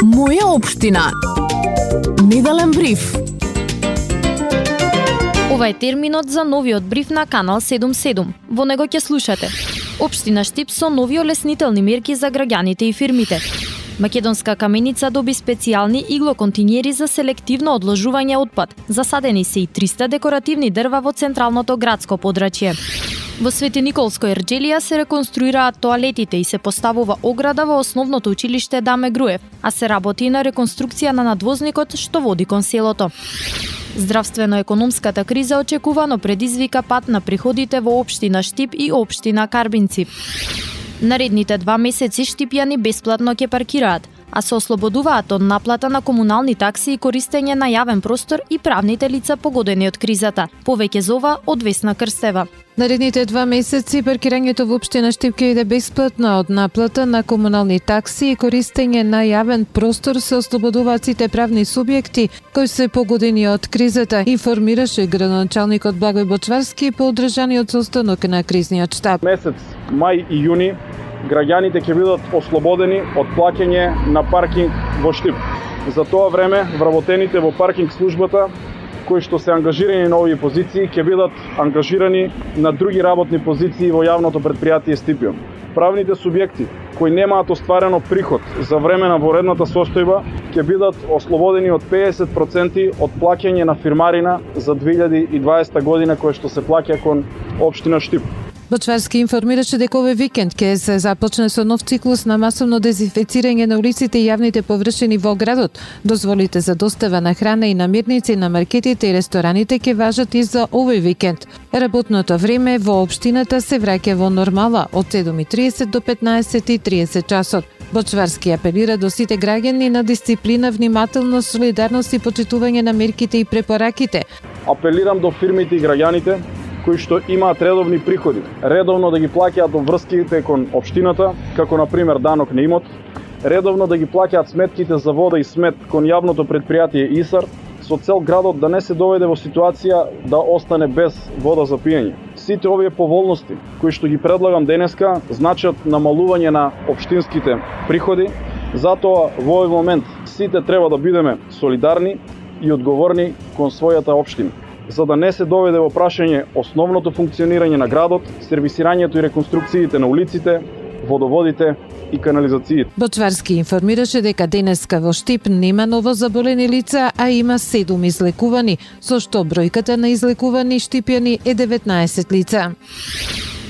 Моја општина. Неделен бриф. Ова е терминот за новиот бриф на Канал 77. Во него ќе слушате: Општина Штип со нови олеснителни мерки за граѓаните и фирмите. Македонска каменица доби специјални иглоконтинери за селективно одложување отпад. Засадени се и 300 декоративни дрва во централното градско подрачје. Во Свети Николско Ерџелија се реконструираат тоалетите и се поставува ограда во основното училиште Даме Груев, а се работи на реконструкција на надвозникот што води кон селото. Здравствено-економската криза очекувано предизвика пат на приходите во општина Штип и општина Карбинци. Наредните 2 месеци штипјани бесплатно ќе паркираат, а се ослободуваат од наплата на комунални такси и користење на јавен простор и правните лица погодени од кризата. Повеќе за ова од Весна Крстева. Наредните 2 месеци паркирањето во општина Штип ќе биде бесплатно од наплата на комунални такси и користење на јавен простор се ослободуваат сите правни субјекти кои се погодени од кризата, информираше градоначалникот Благој Бочварски по одржаниот состанок на кризниот штаб. Месец мај и јуни граѓаните ќе бидат ослободени од плаќање на паркинг во Штип. За тоа време вработените во паркинг службата кои што се ангажирани на овие позиции ќе бидат ангажирани на други работни позиции во јавното претпријатие Стипјон. Правните субјекти кои немаат остварено приход за време на воредната состојба ќе бидат ослободени од 50% од плаќање на фирмарина за 2020 година која што се плаќа кон општина Штип. Бочварски информираше дека овој викенд ќе се започне со нов циклус на масовно дезинфекцирање на улиците и јавните површини во градот. Дозволите за достава на храна и намирници на маркетите и рестораните ќе важат и за овој викенд. Работното време во општината се враќа во нормала од 7:30 до 15:30 часот. Бочварски апелира до сите граѓани на дисциплина, внимателност, солидарност и почитување на мерките и препораките. Апелирам до фирмите и граѓаните кои што имаат редовни приходи, редовно да ги плаќаат обврските кон општината, како на пример данок на имот, редовно да ги плаќаат сметките за вода и смет кон јавното претпријатие ИСАР, со цел градот да не се доведе во ситуација да остане без вода за пиење. Сите овие поволности кои што ги предлагам денеска значат намалување на општинските приходи, затоа во овој момент сите треба да бидеме солидарни и одговорни кон својата општина, за да не се доведе во прашање основното функционирање на градот, сервисирањето и реконструкциите на улиците, водоводите и канализациите. Бочварски информираше дека денеска во Штип нема ново заболени лица, а има 7 излекувани, со што бројката на излекувани штипјани е 19 лица.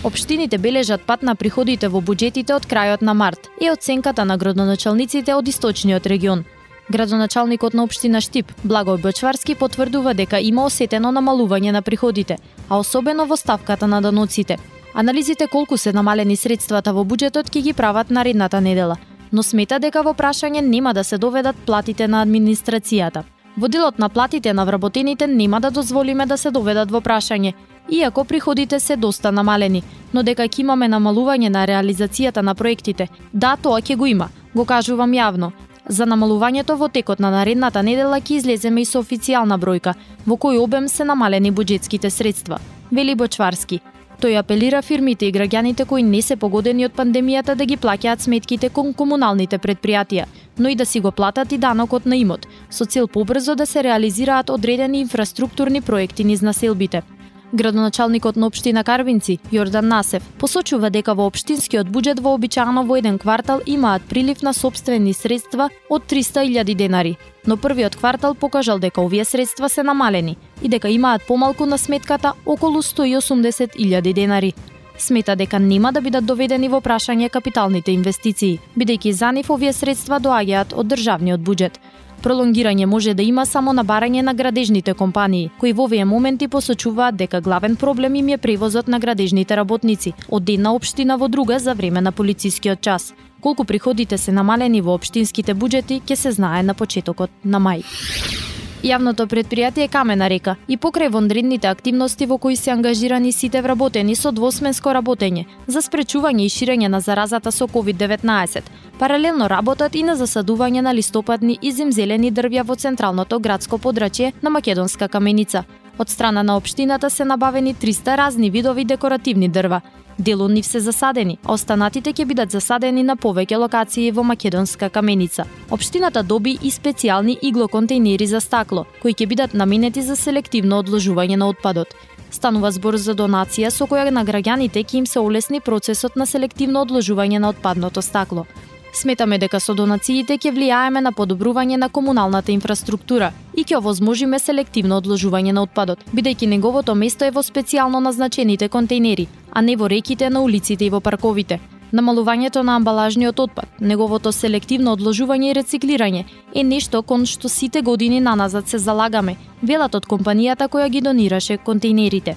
Општините бележат пат на приходите во буџетите од крајот на март и оценката на градоначалниците од источниот регион. Градоначалникот на општина Штип, Благој Бочварски, потврдува дека има осетено намалување на приходите, а особено во ставката на даноците. Анализите колку се намалени средствата во буџетот ќе ги прават наредната недела, но смета дека во прашање нема да се доведат платите на администрацијата. Во делот на платите на вработените нема да дозволиме да се доведат во прашање, иако приходите се доста намалени, но дека ќе имаме намалување на реализацијата на проектите. Да, тоа ќе го има, го кажувам јавно. За намалувањето во текот на наредната недела ќе излеземе и со официјална бројка, во кој обем се намалени буџетските средства, вели Бочварски. Тој апелира фирмите и граѓаните кои не се погодени од пандемијата да ги плаќаат сметките кон комуналните претпријатија, но и да си го платат и данокот на имот, со цел побрзо да се реализираат одредени инфраструктурни проекти низ населбите. Градоначалникот на општина Карбинци, Јордан Насев, посочува дека во општинскиот буџет вообичаено во еден квартал имаат прилив на сопствени средства од 300.000 денари, но првиот квартал покажал дека овие средства се намалени и дека имаат помалку на сметката околу 180.000 денари. Смета дека нема да бидат доведени во прашање капиталните инвестиции, бидејќи за нив овие средства доаѓаат од државниот буџет. Пролонгирање може да има само на барање на градежните компании, кои во овие моменти посочуваат дека главен проблем им е превозот на градежните работници од една општина во друга за време на полицискиот час. Колку приходите се намалени во општинските буџети ќе се знае на почетокот на мај. Јавното претпријатие Камена река и покрај вонредните активности во кои се ангажирани сите вработени со двосменско работење за спречување и ширење на заразата со COVID-19, паралелно работат и на засадување на листопадни и зимзелени дрвја во централното градско подрачје на Македонска каменица. Од страна на општината се набавени 300 разни видови декоративни дрва. Дел од нив се засадени, а останатите ќе бидат засадени на повеќе локации во Македонска Каменица. Општината доби и специјални иглоконтејнери за стакло, кои ќе бидат наменети за селективно одложување на отпадот. Станува збор за донација со која на граѓаните ќе им се олесни процесот на селективно одложување на отпадното стакло. Сметаме дека со донациите ќе влијаеме на подобрување на комуналната инфраструктура и ќе овозможиме селективно одложување на отпадот, бидејќи неговото место е во специјално назначените контејнери, а не во реките, на улиците и во парковите. Намалувањето на амбалажниот отпад, неговото селективно одложување и рециклирање е нешто кон што сите години наназад се залагаме, велат од компанијата која ги донираше контејнерите.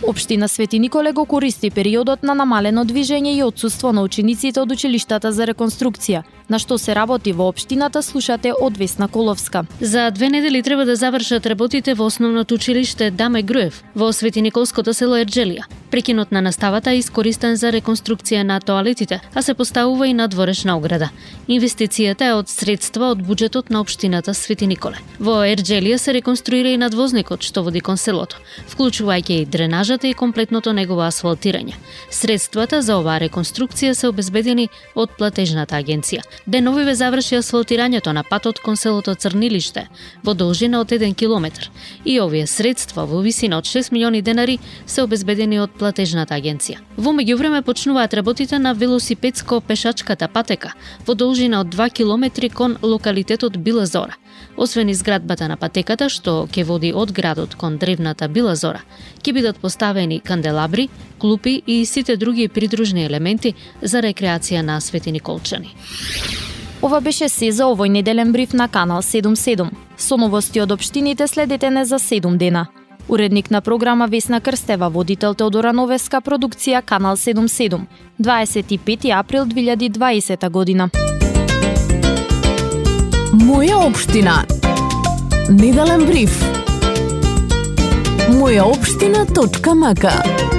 Општина Свети Николе го користи периодот на намалено движење и отсуство на учениците од училиштата за реконструкција, на што се работи во општината, слушате од Весна Коловска. За 2 недели треба да завршат работите во основното училиште Даме Груев во Свети Николското село Ерџелија. Прекинот на наставата е искористен за реконструкција на тоалетите, а се поставува и надворешна ограда. Инвестицијата е од средства од буџетот на општината Свети Николе. Во Ерџелија се реконструира и надвозникот што води кон селото, вклучувајќи и дренажата и комплетното негово асфалтирање. Средствата за оваа реконструкција се обезбедени од платежната агенција. Деновиве заврши асфалтирањето на патот кон селото Црнилиште во должина од 1 километар и овие средства во висина од 6 милиони денари се обезбедени од платежната агенција. Во меѓувреме почнуваат работите на велосипедско-пешачката патека во должина од 2 километри кон локалитетот Била Зора. Освен изградбата на патеката што ќе води од градот кон древната Била Зора, ќе бидат поставени канделабри, клупи и сите други придружни елементи за рекреација на Свети Николчани. Ова беше се за овој неделен бриф на Канал 77. Со новости од општините следете не за 7 дена. Уредник на програма Весна Крстева, водител Теодора Новеска, продукција Канал 77. 25 април 2020 година. Моја општина. Неделен бриф. Мојаопштина.мк